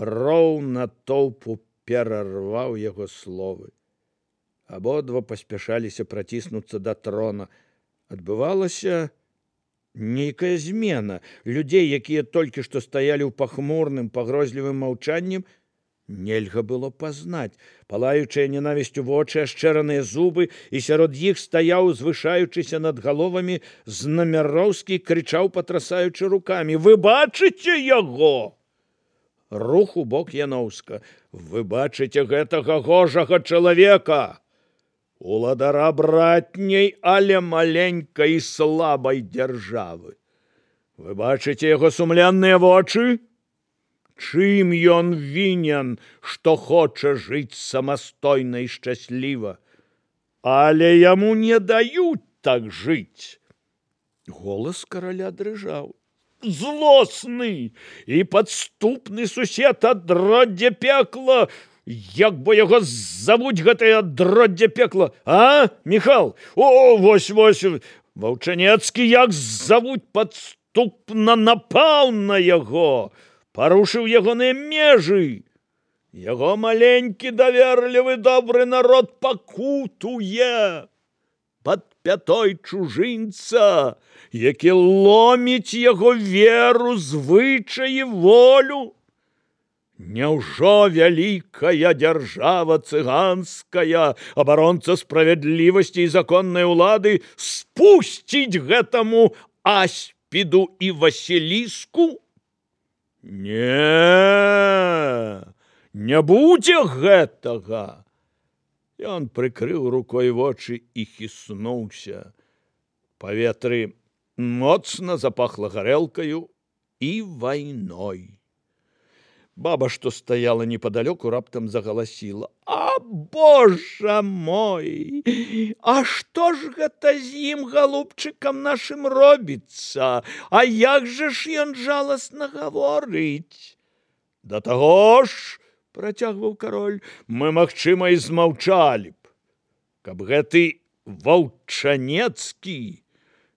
Роў натоўпу перарваў яго словы. Абодва паспяшаліся праціснуцца да трона. Адбывалася нейкая змена. Людзей, якія толькі што стаялі ў пахмурным, пагрозлівым маўчаннем, нельга было пазнаць. Палаючыя ненавісцю вочы, ашчэраныя зубы, і сярод іх стаяў, звышаючыся над галовамі, Знамяроўскі, крычаў, патрасаючы рукамі: «Вы бачыце яго?» Рух у бок Яноўска. «Вы бачыце гэтага гожага чалавека, уладара братняй, але маленькай і слабай дзяржавы. Вы бачыце яго сумленныя вочы? Чым ён вінен, што хоча жыць самастойна і шчасліва? Але яму не даюць так жыць». Голас караля дрыжаў. «Злосны і падступны сусед адроддзе пекла! Як бы яго завуць гэтае адроддзе пекла? А, Міхал? О, вось. Ваўчанецкі, як завуць, падступна напаў на яго, парушыў ягоныя межы. Яго маленькі, даверлівы, добры народ пакутуе пад пятой чужынца, які ломіць яго веру, звычаі, волю. Няўжо вялікая дзяржава цыганская, абаронца справядлівасці і законнай улады, спусціць гэтаму аспіду і Васіліску? Не будзе гэтага!» Ён прыкрыў рукой вочы і хіснуўся. Паветры моцна запахла гарэлкаю і вайной. Баба, што стаяла непадалёку, раптам загаласіла: «А, Божа мой! А што ж гэта з ім, галубчыкам нашым, робіцца? А як жа ж ён жаласна гаворыць?» «Да таго ж, — працягваў кароль, — мы, магчыма, і змаўчалі б, каб гэты Ваўчанецкі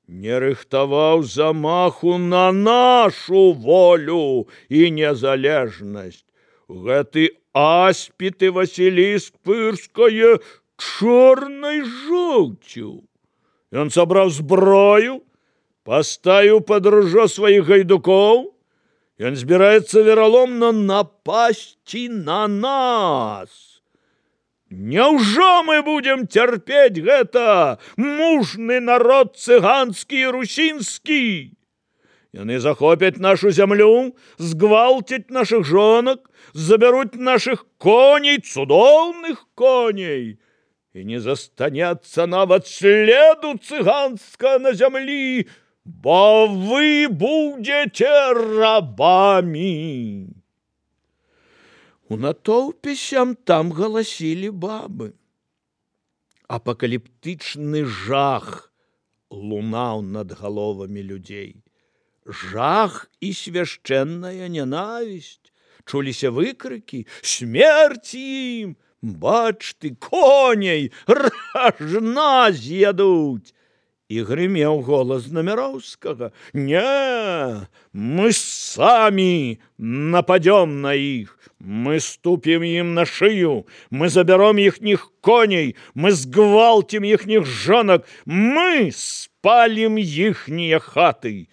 не рыхтаваў замаху на нашу волю і незалежнасць. Гэты аспід і Васіліск пырскае чорнай жоўцю. Ён сабраў зброю, паставіў пад ружо сваіх гайдукоў. Ён збіраецца вераломна напасці на нас. Няўжо мы будзем цярпець гэта, мужны народ цыганскі і русінскі? Яны захопяць нашу зямлю, згвалцяць нашых жонак, забяруць нашых коней, цудоўных коней, і не застанецца нават следу цыганска на зямлі, бо вы будзеце рабамі». У натоўпе сям-там галасілі бабы. Апакаліптычны жах лунаў над галовамі людзей. Жах і свяшчэнная нянавісць. Чуліся выкрыкі: «Смерць ім! Бач ты, коней ражна з'ядуць!» І грымеў голас Знамяроўскага: «Не, мы самі нападём на іх, мы ступім ім на шыю, мы забяром іхніх коней, мы згвалцім іхніх жонак, мы спалім іхнія хаты.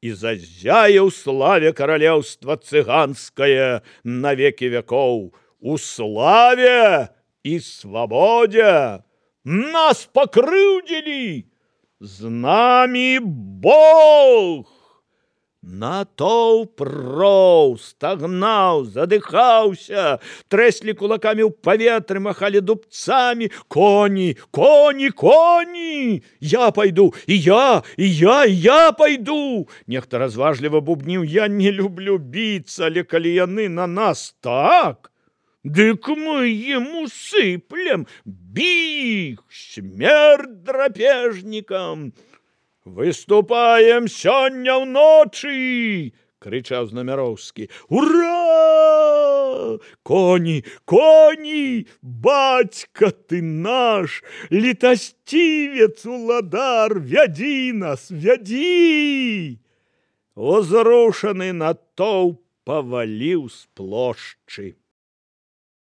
І зазяе ў славе каралеўства цыганскае на векі вякоў, у славе і свабодзе. Нас пакрыўдзілі, з намі Бог!» Натоўп роў, стагнаў, задыхаўся, трэслі кулакамі ў паветры, махалі дубцамі. «Коні, коні, коні! Я пайду, і я пайду!» Нехта разважліва бубніў: «Я не люблю біцца, але калі яны на нас так, дык мы ім усыплем! Бі іх, смерць драпежнікам! Выступаем сёння ўночы!» — крычаў Знамяроўскі. «Ура! Коні, коні! Бацька ты наш, літасцівец, уладар, вядзі нас, вядзі!» Узрушаны натоўп паваліў з плошчы.